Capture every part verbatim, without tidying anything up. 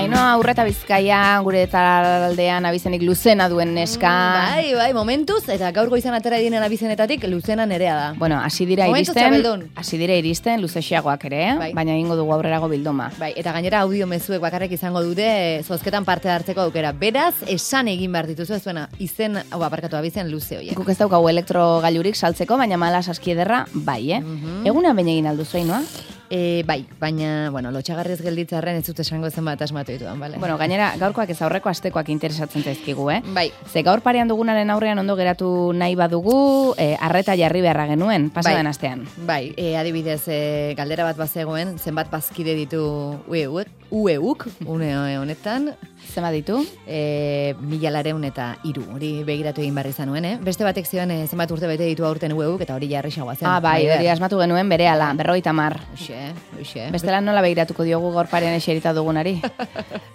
Ainhoa Urreta Bizkaia, gure taldean abizenik Luzena duen neska. Mm, bai, bai, momentuz, eta gaur goizan atera direnen abizenetatik Luzena nerea da. Bueno, hasi dira Momentuz iristen, txapeldun. hasi dira iristen luzexeagoak ere, Bai. baina egingo dugu aurrerago bilduma. Bai, eta gainera audio mezuek bakarrik izango dute zozketan parte hartzeko aukera. Beraz, esan egin behar dituzu, ez zuena, izen, hau aparkatu abizen luze horiek. Guk ez daukagu elektrogailurik saltzeko, baina mala saskiederra bai, eh? Mhm. Eguna baina egin alduzu, Ainhoa? E, bai, baina, bueno, lotxagarriz gelditzarren ez dut esango zenbat asmatu dituan, bale? Bueno, gainera, gaurkoak ez aurreko astekoak interesatzen zaizkigu, eh? Bai. Ze gaur parean dugunaren aurrean ondo geratu nahi badugu, eh, arreta jarri beharra genuen, pasadan Bai. astean. Bai, e, adibidez, e, galdera bat bazegoen, zenbat bazkide ditu ueuk, ueuk, une honetan, Zema ditu? e, mila lareun eta hiru, hori begiratu egin barri zanuen, eh? Beste batek zioen e, zenbat urte bete ditu aurten ueuk, eta hori jarri xagoa zen. Ah, bai, hori asmatu genuen berehala, berrogeita hamar. Hoxe, hoxe. Bestela nola begiratuko diogu gaur parean eserita dugunari?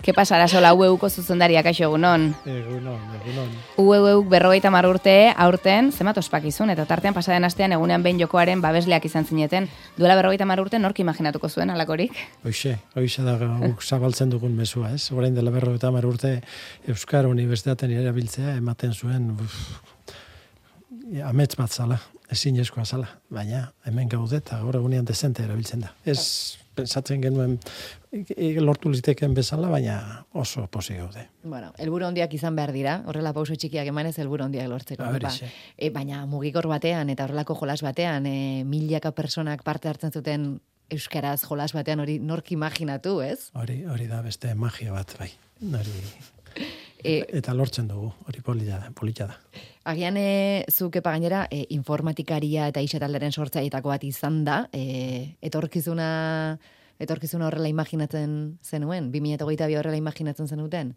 Ke pasara sola ueuko zuzendariak aixo egunon? Egunon, egunon. Ueuek berrogeita hamar urte aurten, zenbat ospakizun, eta tartean pasaden astean egunean behin jokoaren babesleak izan zineten. Duela berrogeita hamar urte nork imaginatuko zuen alakorik? Hoxe, hoxe da guk zabaltzen dugun mezua, ez? Orain dela berrogeita hamar urte Euskara Unibertsitatean erabiltzea ematen zuen uf, amets bat zala, ezinezkoa zala, baina hemen gaude eta gaur egunean dezente erabiltzen da. Ez pensatzen genuen lortu liteken bezala, baina oso posi gaude. Bueno, helburu handiak izan behar dira, horrela pauso txikiak emanez helburu handiak lortzeko. A ber, ba. ixe. E, baina mugikor batean eta horrelako jolas batean, e, milaka personak parte hartzen zuten euskaraz jolas batean, hori nork imaginatu, ez? Hori, hori da beste magia bat, bai. Hori, E, eta lortzen dugu, hori polita da, polita da. Agian e, zuk epa gainera e, informatikaria eta isetalderen sortzaietako bat izan da, e, etorkizuna, etorkizuna horrela imaginatzen zenuen, bi mila hogeita bi horrela imaginatzen zenuten?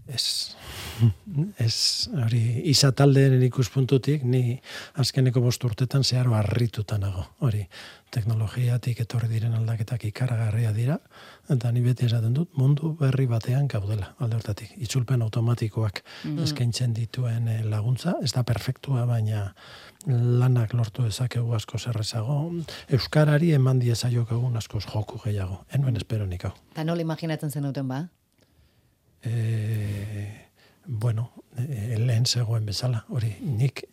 Ez, ez, hori, izataldeen ikuspuntutik, ni azkeneko bost urtetan zeharo harrituta nago, hori, teknologiatik etorri diren aldaketak ikaragarria dira, eta ni beti esaten dut, mundu berri batean gaudela, alde hortatik, itzulpen automatikoak Mm. eskaintzen dituen eh, laguntza, ez da perfektua, baina lanak lortu dezakegu asko zerrezago, euskarari eman diezaiokegun askoz joku gehiago, enuen espero nik hau. Eta nola imaginatzen zenuten ba? E, bueno, e, lehen zegoen bezala, hori, nik,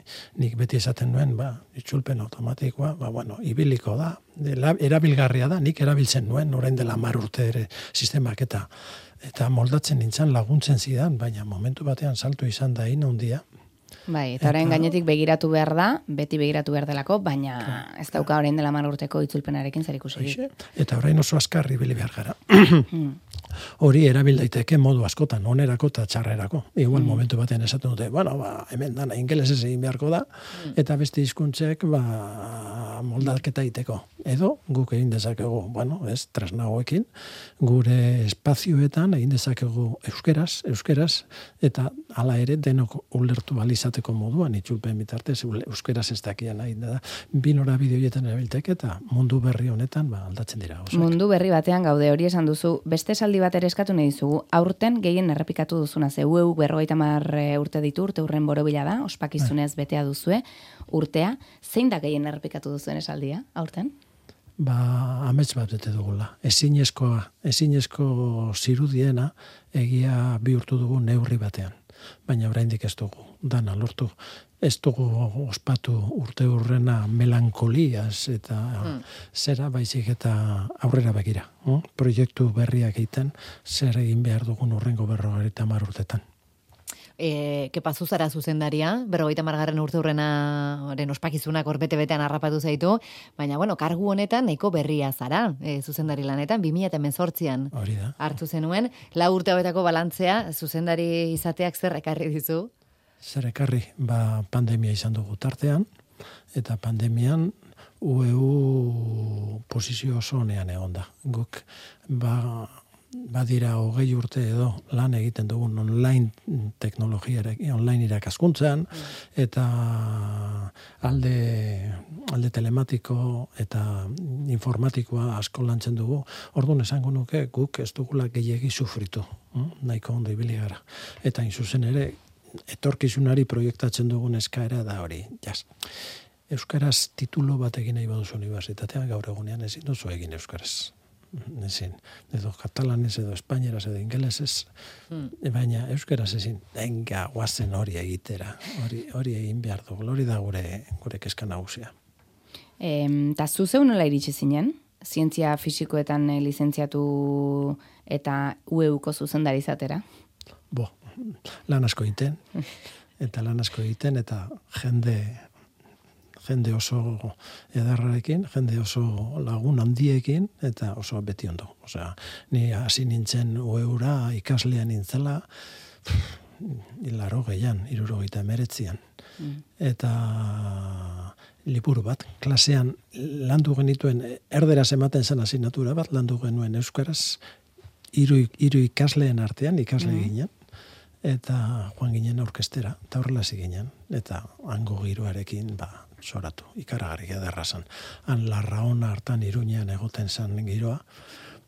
nik beti esaten nuen, ba, itzulpen automatikoa, ba, bueno, ibiliko da, de, la, erabilgarria da, nik erabiltzen nuen, orain dela mar urte ere sistemak eta eta moldatzen nintzen laguntzen zidan, baina momentu batean salto izan da ina handia. Bai, eta orain Eta- gainetik begiratu behar da, beti begiratu behar delako, baina ez dauka orain dela hamar urteko itzulpenarekin zer ikusirik. Hoxe, eta orain oso azkarri ibili behar gara. Mm. Hori erabil daiteke modu askotan, onerako eta txarrerako. Igual momentu batean esaten dute, bueno, ba, hemen dana ingelesez egin beharko da, eta beste hizkuntzek ba, moldaketa egiteko. Edo, guk egin dezakegu, bueno, ez, tresnagoekin, gure espazioetan egin dezakegu euskeraz, euskeraz, eta hala ere denok ulertu balizateko moduan, itzulpen bitartez, euskeraz ez dakian egin da. Bi norabide horietan erabiltek eta mundu berri honetan ba, aldatzen dira. Oso. Mundu berri batean gaude, hori esan duzu, beste esaldi bat ere eskatu nahi dizugu, aurten gehien errepikatu duzuna, ze ueu berrogeita hamar urte ditu, urte urren borobila da, ospakizunez betea duzue, urtea, zein da gehien errepikatu duzuen esaldia, aurten? Ba, amets bat bete dugula. Ezinezkoa, ezinezko zirudiena egia bihurtu dugu neurri batean. Baina oraindik ez dugu, dana lortu. Ez dugu ospatu urte urrena melankoliaz eta Hmm. zera baizik eta aurrera begira. hm? Proiektu berriak egiten, zer egin behar dugun urrengo berrogeita hamar urtetan. E, kepa zuzara zuzendaria, berrogeita margarren urte hurrenaren ospakizunak hor bete-betean harrapatu zaitu, baina, bueno, kargu honetan nahiko berria zara, e, zuzendari lanetan, bi mila hemezortzian Hori da. hartu zenuen, lau urte hauetako balantzea, zuzendari izateak zer ekarri dizu? Zer ekarri, ba, pandemia izan dugu tartean, eta pandemian U E U posizio oso honean egon da. Guk, ba, badira hogei urte edo lan egiten dugun online teknologiarekin, online irakaskuntzan, eta alde, alde telematiko eta informatikoa asko lantzen dugu. Orduan esango nuke guk ez dugula gehiegi sufritu, hm? Nahiko ondo ibili gara. Eta in zuzen ere, etorkizunari proiektatzen dugun eskaera da hori, jas. Euskaraz titulo bat egin nahi baduzu unibertsitatean, gaur egunean ezin duzu egin euskaraz. ezin. Edo katalanez, edo espainieraz, edo ingelesez, mm. baina euskaraz ezin, enga, guazen hori egitera, hori, hori egin behar dugu, hori da gure, gure keska nagusia. Eta zu zeu nola iritsi zinen? Zientzia fisikoetan eh, lizentziatu eta U E Uko zuzendari izatera? Bo, lan asko egiten, eta lan asko egiten, eta jende, jende oso edarrarekin, jende oso lagun handiekin, eta oso beti ondo. Osea, ni hasi nintzen U E Ura ikaslean nintzela, hilaro gehian, irurogeita emeretzian. Mm. Eta liburu bat, klasean landu genituen, erderaz ematen zen asignatura bat, landu genuen euskaraz, hiru hiru ikasleen artean, ikasle mm. ginen, eta joan ginen orkestera, eta horrela ginen, eta hango giroarekin, ba, soratu, ikaragarri ederra zen. Han Larraona hartan Iruñean egoten zen giroa,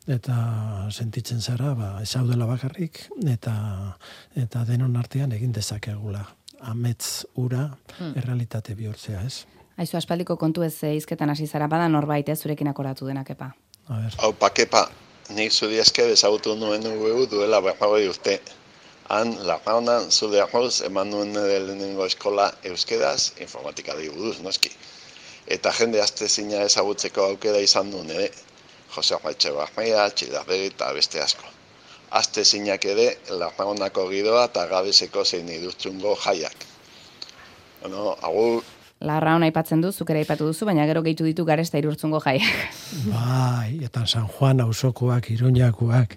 eta sentitzen zara, ba, ezaudela bakarrik, eta, eta denon artean egin dezakegula. Amets ura, hmm. errealitate bihurtzea, ez? Aizu, aspaldiko kontu ez hizketan hasi zara, bada norbait ez zurekin akoratu denak, Kepa. A ber. Hau, pa, Kepa, nik zuri esker ezagutu nuen U E U duela berrogei urte. Han, Larraonan, zure arroz, eman nuen lehenengo eskola euskeraz, informatika buruz, noski. Eta jende astezina ezagutzeko aukera izan duen ere, Jose Juatxe Barmea, Txilarregi eta beste asko. Astezinak ere, Larraonako giroa eta Gabeseko zein idurtzungo jaiak. Bueno, agur. Larraona aipatzen du, zuk ere aipatu duzu, baina gero gehitu ditu Garesta Irurtzungo jaiak. Bai, eta San Juan auzokoak, Iruñakoak,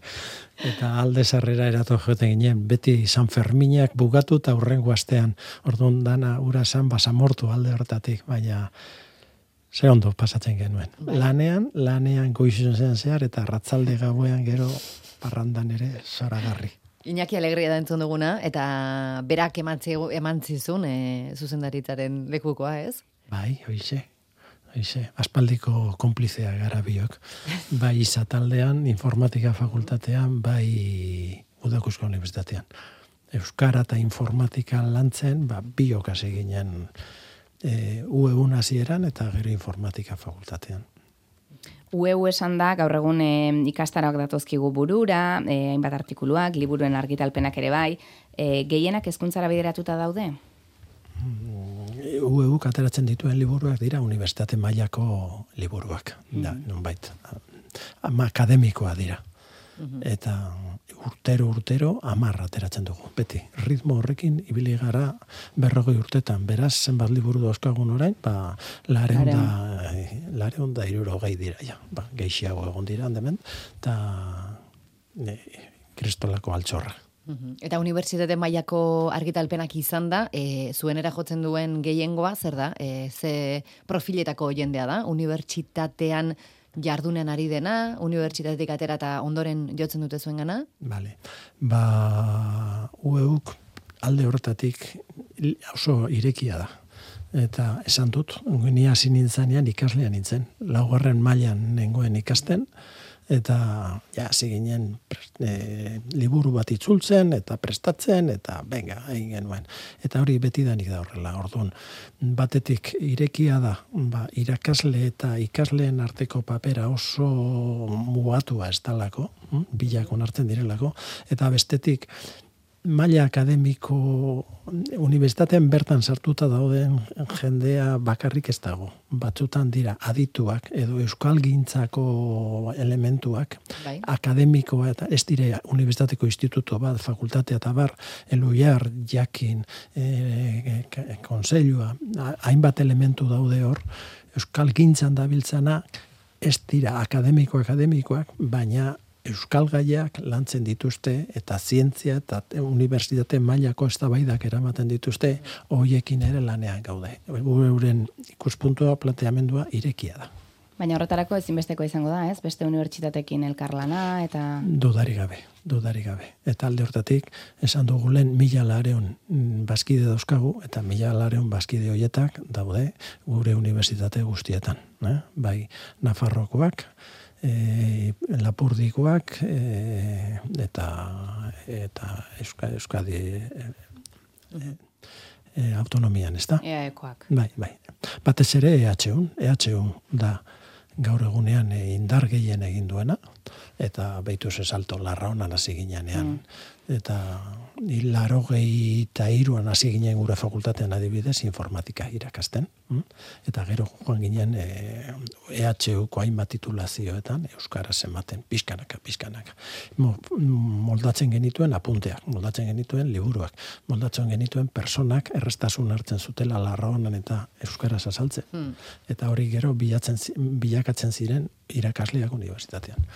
eta Alde Sarrera erato joten ginen, beti San Ferminak bugatu eta hurrengo astean, orduan dana ura san basamortu alde hortatik, baina ze ondo pasatzen genuen. Bai. Lanean, lanean goizuzen zehar, eta arratzalde gauean gero parrandan ere zoragarri. Iñaki Alegria da entzun duguna, eta berak emantzizun e, zuzendaritzaren lekukoa, ez? Bai, hoize, hoize, aspaldiko konplizea gara biok. Bai izataldean, informatika fakultatean, bai Udakusko Unibertsitatean. Euskara eta informatika lantzen, ba, biok hasi ginen e, U E U hasieran eta gero informatika fakultatean. U E U esan da, gaur egun e, ikastaroak datozkigu burura, e, hainbat artikuluak, liburuen argitalpenak ere bai, e, gehienak hezkuntzara bideratuta daude? U E U ateratzen dituen liburuak dira unibertsitate mailako liburuak, mm. da, nonbait, akademikoa dira. Mm-hmm. Eta urtero urtero hamar ateratzen dugu, beti. Ritmo horrekin ibili gara berrogei urtetan. Beraz, zenbat liburu dauzkagun orain, ba, lareun da, lareun da hirurogei dira, ja. Ba, gehiago egon dira, handemen, eta e, kristolako altxorra. Mm-hmm. Eta unibertsitate mailako argitalpenak izan da, e, zuenera jotzen duen gehiengoa, zer da? E, ze profiletako jendea da? Unibertsitatean jardunen ari dena, unibertsitatetik atera eta ondoren jotzen dute zuen gana? Bale. Ba, U E Uk alde horretatik oso irekia da. Eta esan dut, ni hasi nintzanean ikaslean nintzen. Laugarren mailan nengoen ikasten, eta ja, hasi ginen e, liburu bat itzultzen, eta prestatzen, eta venga, egin genuen. Eta hori betidanik da horrela, orduan. Batetik irekia da, ba, irakasle eta ikasleen arteko papera oso mugatua ez dalako, bilakon hartzen direlako, eta bestetik maila akademiko unibertsitatean bertan sartuta dauden jendea bakarrik ez dago. Batzutan dira adituak edo euskalgintzako elementuak, bai. Akademikoa eta ez dire unibertsitateko instituto bat, fakultatea eta bar, eluiar, jakin, e, konseilua, hainbat elementu daude hor, euskalgintzan dabiltzana ez dira akademiko-akademikoak, baina euskal gaiak lantzen dituzte eta zientzia eta unibertsitate mailako eztabaidak eramaten dituzte, hoiekin ere lanean gaude. Euren ikuspuntua, planteamendua irekia da. Baina horretarako ezinbesteko izango da, ez? Beste unibertsitatekin elkarlana eta... Dudari gabe, dudari gabe. Eta alde hortatik, esan dugu lehen mila lareun bazkide dauzkagu, eta mila lareun bazkide hoietak daude gure unibertsitate guztietan. Eh? Bai, Nafarrokoak, E, Lapurdikoak e, eta eta Euska, Euskadi e, e, autonomian, ez da? Eaekoak. Bai, bai. Batez ere E H U, E H U da gaur egunean e, indar gehien egin duena, eta behitu ze salto larra honan hasi ginean. Mm. Eta hilaro gehi eta iruan hasi ginen gure fakultatean adibidez informatika irakasten. Mm? Eta gero joan ginen e, EHUko hainbat titulazioetan euskaraz ematen, pixkanaka, pixkanaka. Mo, moldatzen genituen apunteak, moldatzen genituen liburuak, moldatzen genituen personak errestasun hartzen zutela larra honan eta euskaraz azaltzen. Mm. Eta hori gero bilatzen, bilakatzen ziren irakasleak unibertsitatean.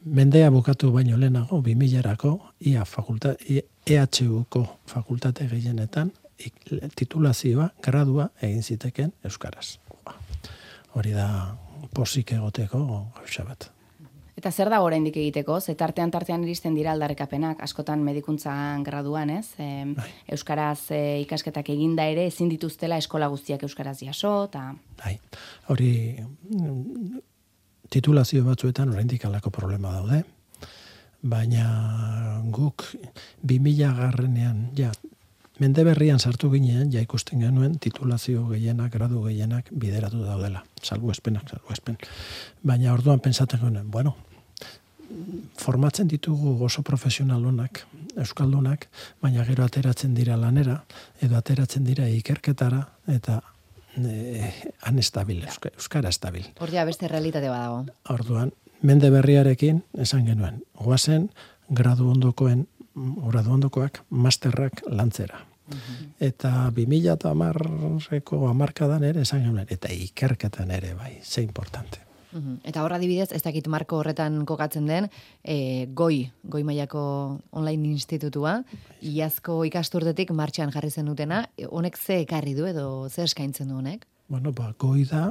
Mendea bukatu baino lehenago, bi milarako, ia fakulta, EHUko fakultate gehienetan, titulazioa, gradua egin ziteken euskaraz. Hori da posik egoteko gauza bat. Eta zer da oraindik egiteko? Ze tartean tartean iristen dira aldarrikapenak, askotan medikuntzan graduan, ez? E, euskaraz e, ikasketak eginda ere ezin dituztela eskola guztiak euskaraz jaso, eta... Bai, hori titulazio batzuetan oraindik halako problema daude, baina guk bi mila garrenean, ja, mende berrian sartu ginean, ja ikusten genuen titulazio gehienak, gradu gehienak bideratu daudela, salbuespenak, salbuespen. Baina orduan pentsatzen genuen, bueno, formatzen ditugu oso profesionalonak, euskaldunak, baina gero ateratzen dira lanera, edo ateratzen dira ikerketara, eta Eh, han estabil, euskara estabil. Horria beste realitate badago. Orduan, mende berriarekin esan genuen, goazen gradu ondokoen, gradu ondokoak, masterrak lantzera. Uh-huh. Eta bi mila hamareko hamarkadan ere esan genuen, eta ikerketan ere bai, ze importante. Uh-huh. Eta horra adibidez, ez dakit marko horretan kokatzen den, e, goi, goi mailako online institutua, iazko ikasturtetik martxan jarri zen dutena, honek ze ekarri du edo ze eskaintzen du honek? Bueno, ba, goi da,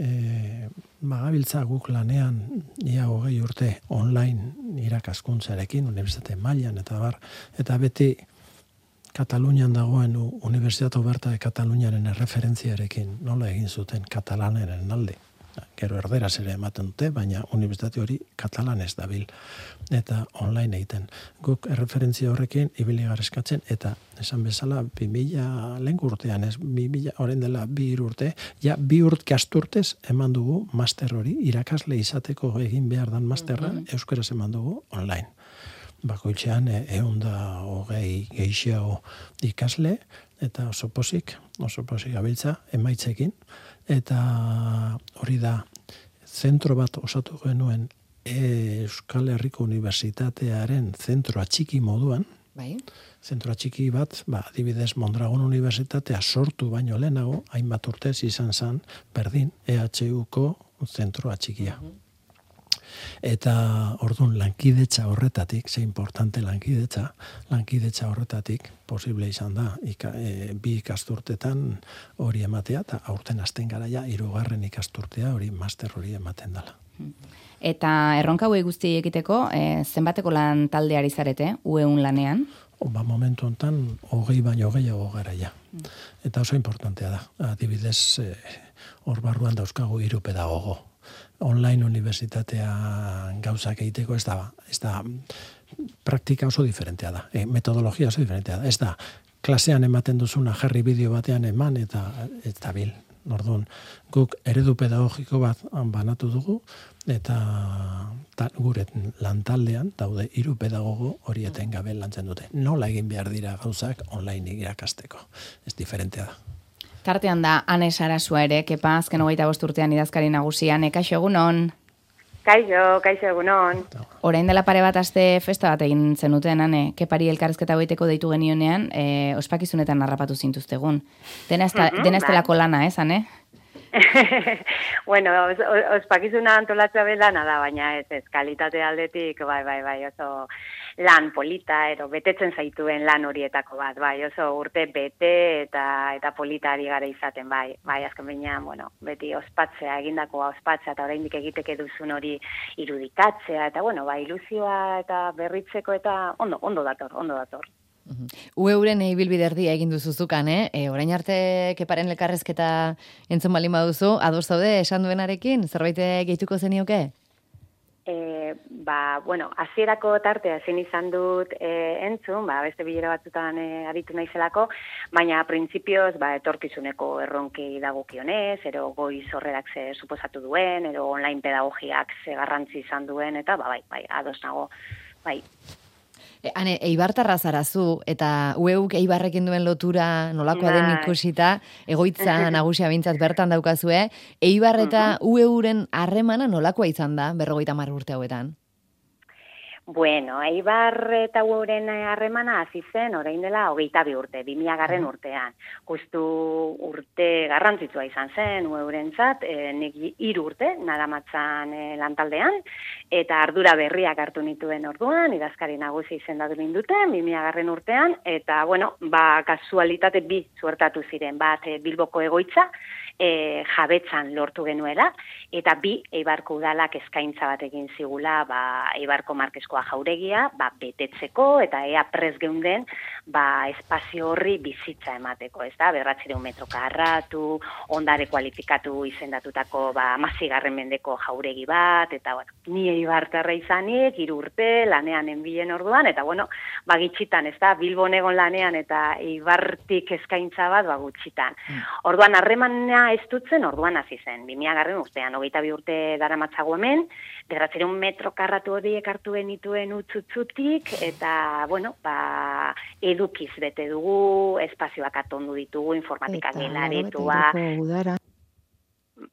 e, magabiltza guk lanean ia hogei urte online irakaskuntzarekin, unibertsitate mailan eta bar, eta beti Katalunian dagoen Universitate Oberta de Kataluniaren erreferentziarekin nola egin zuten katalaneren alde. Gero erderaz ere ematen dute, baina unibertsitate hori katalanez dabil eta online egiten. Guk erreferentzia horrekin ibili garezkatzen eta esan bezala bi mila lehen urtean, ez bi mila orain dela bi urte, ja bi urt kasturtez eman dugu master hori, irakasle izateko egin behar dan masterra, mm-hmm. euskaraz eman dugu online. Bakoitzean ehun da hogei gehiago ikasle eta oso posik, oso posik gabiltza emaitzekin. Eta hori da, zentro bat osatu genuen Euskal Herriko Unibertsitatearen zentroa txiki moduan. Bai. Zentroa txiki bat, ba, adibidez Mondragon Unibertsitatea sortu baino lehenago, hainbat urtez izan zen, berdin, EHUko zentroa txikia. Uh-huh. Eta orduan lankidetza horretatik, ze importante lankidetza, lankidetza horretatik posible izan da, ika, e, bi ikasturtetan hori ematea, eta aurten hasten garaia hirugarren ikasturtea hori master hori ematen dela. Eta erronka hauei guzti egiteko, e, zenbateko lan taldeari zarete, U E un lanean? O, ba, momentu hontan hogei baino gehiago garaia. Mm. Eta oso importantea da. Adibidez, e, hor barruan dauzkagu hiru pedagogo. Online unibertsitatea gauzak egiteko ez da, ez da praktika oso diferentea da, e, metodologia oso diferentea da, ez da klasean ematen duzuna jarri bideo batean eman eta ez da bil. Orduan, guk eredu pedagogiko bat banatu dugu eta ta, gure lantaldean daude hiru pedagogo hori etengabe lantzen dute. Nola egin behar dira gauzak online irakasteko, ez diferentea da. Tartean da, Ane Sarasua ere, kepa, azken hogeita bost urtean idazkari nagusian, kaixo egunon? Kaixo, kaixo egunon. Orain dela pare bat aste festa bat egin zenuten, Ane, kepari elkarrezketa goiteko deitu genionean, e, ospakizunetan harrapatu zintuztegun. Dena ez mm-hmm, delako lana, ez, Ane? Bueno, os, ospakizuna antolatzea belana da, baina ez, ez, kalitate aldetik, bai, bai, bai, oso lan polita, ero, betetzen zaituen lan horietako bat, bai, oso urte bete eta eta politari gara izaten, bai, bai, azken baina, bueno, beti ospatzea, egindakoa ospatzea, eta oraindik egiteke duzun hori irudikatzea, eta, bueno, bai, ilusioa eta berritzeko, eta ondo, ondo dator, ondo dator. U E uren ibilbide erdia egin duzuzukan, eh? E, orain arte keparen elkarrezketa entzun balin baduzu, ados zaude esan duenarekin, zerbait gehituko zenioke? E, ba, bueno, hasierako tartea ezin izan dut e, entzun, ba, beste bilera batzutan e, aritu naizelako, baina printzipioz ba, etorkizuneko erronkei dagokionez, ero goiz horrerak ze suposatu duen, ero online pedagogiak ze garrantzi izan duen, eta ba, bai, bai, ados nago, bai. E, hane, Eibartarra zarazu, eta ueuk Eibarrekin duen lotura nolakoa den ikusita, egoitza nagusia bintzat bertan daukazue, Eibar eta ueuren harremana nolakoa izan da, berrogeita hamar urte hauetan? Bueno, Eibar eta ueuren harremana hasi zen orain dela hogeita bi urte, bi mila garren urtean. Justu urte garrantzitsua izan zen ueurentzat, e, nik hiru urte naramatzan e, lantaldean, eta ardura berriak hartu nituen orduan, idazkari nagusi izendatu ninduten, bi mila garren urtean, eta, bueno, ba, kasualitate bi suertatu ziren, bat e, Bilboko egoitza, e, jabetzan lortu genuela, eta bi, Eibarko udalak eskaintza bat egin zigula, ba, Eibarko Markeskoa jauregia, ba, betetzeko, eta ea prez geunden, ba, espazio horri bizitza emateko, ez da, berratzireun metro karratu, ondare kualifikatu izendatutako, ba, amazigarren mendeko jauregi bat, eta, bueno, ni Eibartarra izanik, hiru urte, lanean enbilen orduan, eta, bueno, ba, gitxitan, ez da, Bilbon egon lanean, eta Eibartik eskaintza bat, ba, gutxitan. Mm. Orduan, harremana ez dutzen, orduan hasi zen, bi mila garren urtean, hogeita bi urte daramatzago hemen, berratzireun metro karratu horiek hartu genituen utzutzutik, eta, bueno, ba, edukiz bete dugu, espazioak atondu ditugu, informatika gelaretua.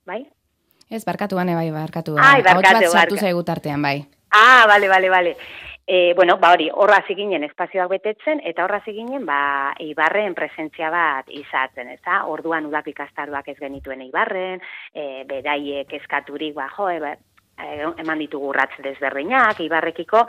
Bai? Ez, barkatu bane, bai, barkatu. Ai, barkatu, barkatu. Sartu zaigu tartean, bai. Ah, bale, bale, bale. E, bueno, ba hori, horra ziginen espazioak betetzen, eta horra ziginen, ba, Eibarren presentzia bat izatzen, ez da? Orduan udako ikastaroak ez genituen Eibarren, e, beraiek eskaturik, ba, jo, e, eman ditugu urratz desberdinak, Eibarrekiko,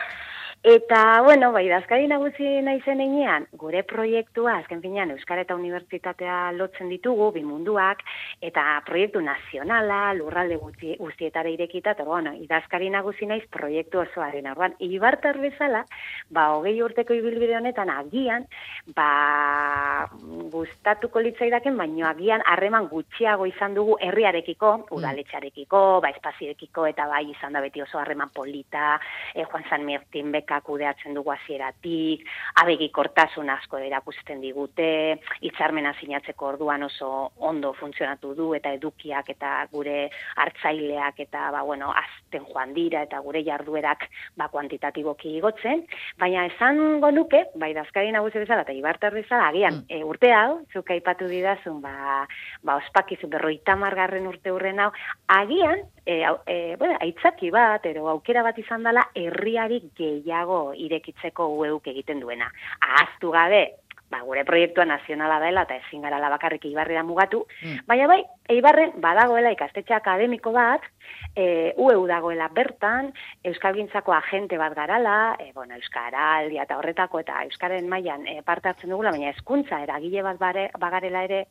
eta, bueno, bai, idazkari nagusi naizen heinean, gure proiektua, azken finean, Euskara eta Unibertsitatea lotzen ditugu, bi munduak, eta proiektu nazionala, lurralde guztietara irekita, eta, bueno, idazkari nagusi naiz proiektu osoaren. Orduan, Eibartar bezala, ba, hogei urteko ibilbide honetan, agian, ba, gustatuko litzaidaken, baino agian harreman gutxiago izan dugu herriarekiko, udaletxarekiko, ba, espazioekiko, eta bai izan da beti oso harreman polita, eh, Juan San Martín Bekak kudeatzen dugu hasieratik, abegikortasun asko erakusten digute, hitzarmena sinatzeko orduan oso ondo funtzionatu du, eta edukiak eta gure hartzaileak eta, ba, bueno, azten joan dira, eta gure jarduerak, ba, kuantitatiboki igotzen, baina esango nuke, bai, idazkari nagusi bezala eta Eibartar bezala, agian, mm. e, urte hau, zuk aipatu didazun, ba, ba, ospakizu berrogeita hamargarren urte hurren hau, agian, e, e, bueno, aitzaki bat, ero aukera bat izan dela, herriari gehiago irekitzeko ueuk egiten duena. Ahaztu gabe, ba, gure proiektua nazionala dela eta ezin garala bakarrik Eibarrera mugatu, mm. baina bai, Eibarren badagoela ikastetxe akademiko bat, e, U E U dagoela bertan, euskalgintzako agente bat garala, e, bueno, euskaraldia eta horretako eta euskaren mailan e, parte hartzen dugula, baina hezkuntza eragile bat bare, bagarela ere,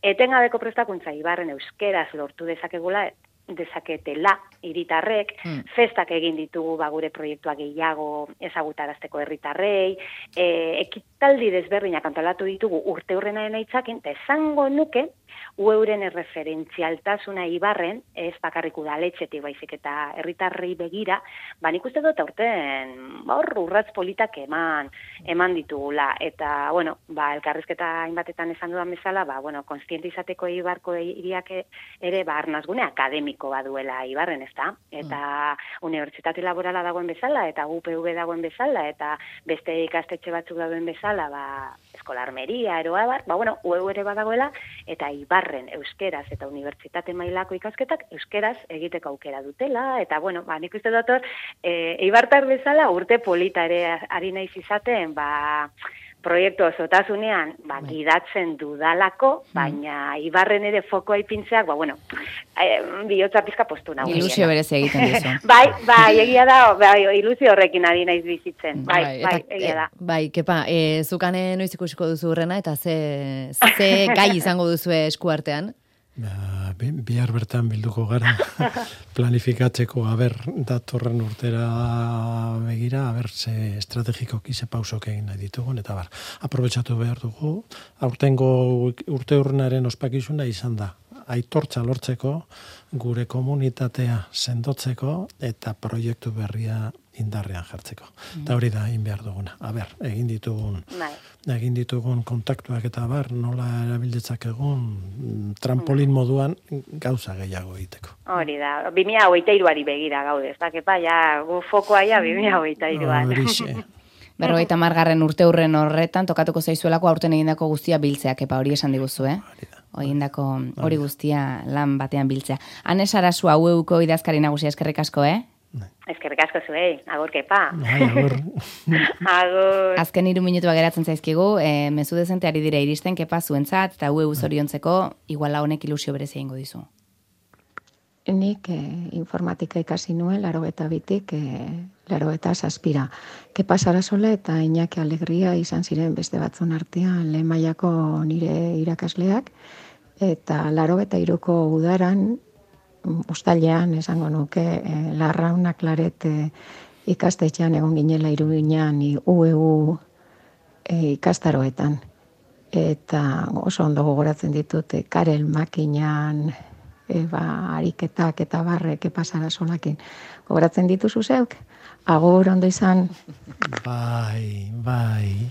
etengabeko prestakuntza Eibarren euskeraz lortu dezakegula, dezaketela hiritarrek, hmm. festak egin ditugu ba, gure proiektua gehiago ezagutarazteko herritarrei, e, ekitaldi desberdinak antolatu ditugu urte hurrenaren aitzakin, eta esango nuke, ueuren erreferentzialtasuna Eibarren, ez bakarrik udaletxetik baizik eta herritarrei begira, ba nik uste dut aurten hor urratz politak eman, eman ditugula, eta, bueno, ba, elkarrizketa hainbatetan esan dudan bezala, ba, bueno, konstiente izateko Eibarko hiriak ere, ba, arnazgune akademiko baduela Eibarren, ez da? Eta mm. unibertsitate laborala dagoen bezala, eta U P V dagoen bezala, eta beste ikastetxe batzuk dagoen bezala, ba, eskolarmeria, eroa bat, ba, bueno, U E U ere badagoela, eta Eibarren euskeraz eta unibertsitate mailako ikasketak euskeraz egiteko aukera dutela, eta, bueno, ba, nik uste dut hor, e, Eibartar bezala urte polita ere ari naiz izaten, ba, proiektu osotasunean, ba, gidatzen dudalako, baina Eibarren ere fokoa ipintzeak, ba, bueno, eh, bihotza pizka postu nago. Ilusio berez egiten duzu. bai, bai, egia da, bai, ilusio horrekin ari naiz bizitzen. Bai, bai, bai eta, egia da. E, bai, kepa, e, zukane noiz ikusiko duzu horrena, eta ze, ze gai izango duzu eskuartean? Ba, bihar bertan bilduko gara planifikatzeko, aber, datorren urtera begira, aber, ze estrategikoki ze pausok egin nahi ditugun, eta bar, aprobetxatu behar dugu, aurtengo urte urnaren ospakizuna izan da, aitortza lortzeko, gure komunitatea sendotzeko eta proiektu berria indarrean jartzeko. Eta hori da egin behar duguna. A ber, egin ditugun Bai. egin ditugun kontaktuak eta bar, nola erabildetzak egun trampolin moduan gauza gehiago egiteko. Hori da, bi mila hogeita hiruari begira gaude, ez da, kepa, ja, gu fokoa ja bi mila hogeita hiruan. Horixe. Berrogeita margarren urte hurren horretan, tokatuko zaizuelako aurten egindako guztia biltzeak, epa hori esan diguzu, eh? Egindako hori guztia lan batean biltzea. Ane Sarasua U E Uko idazkari nagusia, eskerrik asko, eh? Eskerrik asko zuei, agur kepa. Bai, agur. Agur. Azken hiru minutua geratzen zaizkigu, e, mezu dezente ari dira iristen, kepa zuentzat, eta U E U zoriontzeko, iguala honek ilusio berezia ingo dizu. Nik eh, informatika ikasi nuen, laro eta bitik, eh, laro eta zazpira. Kepa Sarasola eta Iñaki Alegria izan ziren beste batzun artean lehen mailako nire irakasleak, eta laro eta iruko udaran, uztailean esango nuke, eh, Larrauna Klaret eh, ikastetxean egon ginela Iruñean U E U eh, ikastaroetan. Eta oso ondo gogoratzen ditut, eh, Karel Makinan, E, ba, ariketak eta barrek epasara solakin. Gogoratzen dituzu zeuk? Agur ondo izan. Bai, bai.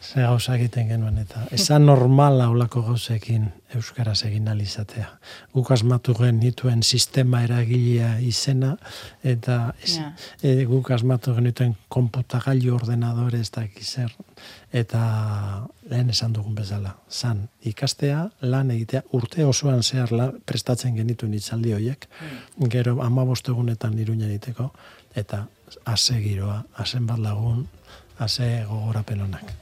Ze gauza egiten genuen eta esan normala olako gauzekin euskaraz egin alizatea. Guk asmatu genituen sistema eragilea izena eta ez, Ja. e, guk asmatu genituen konputagailu ordenadore ez dakiz zer eta lehen esan dugun bezala. Zan ikastea, lan egitea, urte osoan zehar la, prestatzen genituen hitzaldi horiek, gero hamabost egunetan Iruñan egiteko eta ase giroa, asen bat lagun, ase gogorapen onak.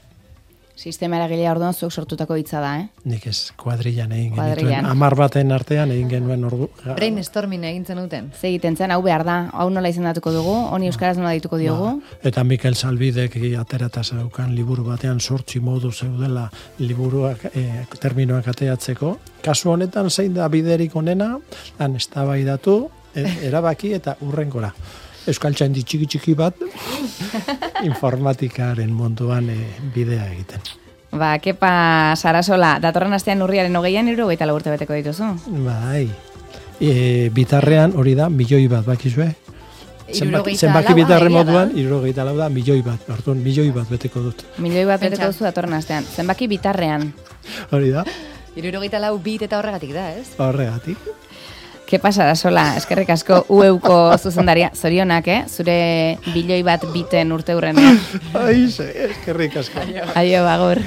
Sistema eragilea orduan zuek sortutako hitza da, eh? Nik ez kuadrillan egin Kuadrillan. genituen. Amar baten artean egin genuen ordu. Brainstorming egintzen duten. Ze egiten zen, hau behar da, hau nola izendatuko dugu, honi euskaraz nola dituko diogu. Eta Mikel Salbidek aterata zeukan liburu batean sortzi modu zeudela liburuak, e, terminoak ateatzeko. Kasu honetan zein da biderik onena, han eztabaidatu, e, erabaki eta urrengora. Euskaltzaindi txiki txiki bat informatikaren munduan e, bidea egiten. Ba, Kepa Sarasola, datorren astean urriaren hogeian hirurogeita lau urte beteko dituzu. Bai. E, bitarrean hori da milioi bat bakizue. Zenbaki, zenbaki bitarre moduan, hirurogeita lau da milioi bat. Orduan, milioi bat beteko dut. Milioi bat beteko Pentsa. duzu datorren astean. Zenbaki bitarrean. Hori da, Hirurogeita lau bit eta horregatik da, ez? horregatik. Kepa Sarasola, eskerrik asko U E Uko zuzendaria, zorionak, eh? Zure bilioi bat biten urte hurrenean. Aize, eskerrik asko. Aio, agur.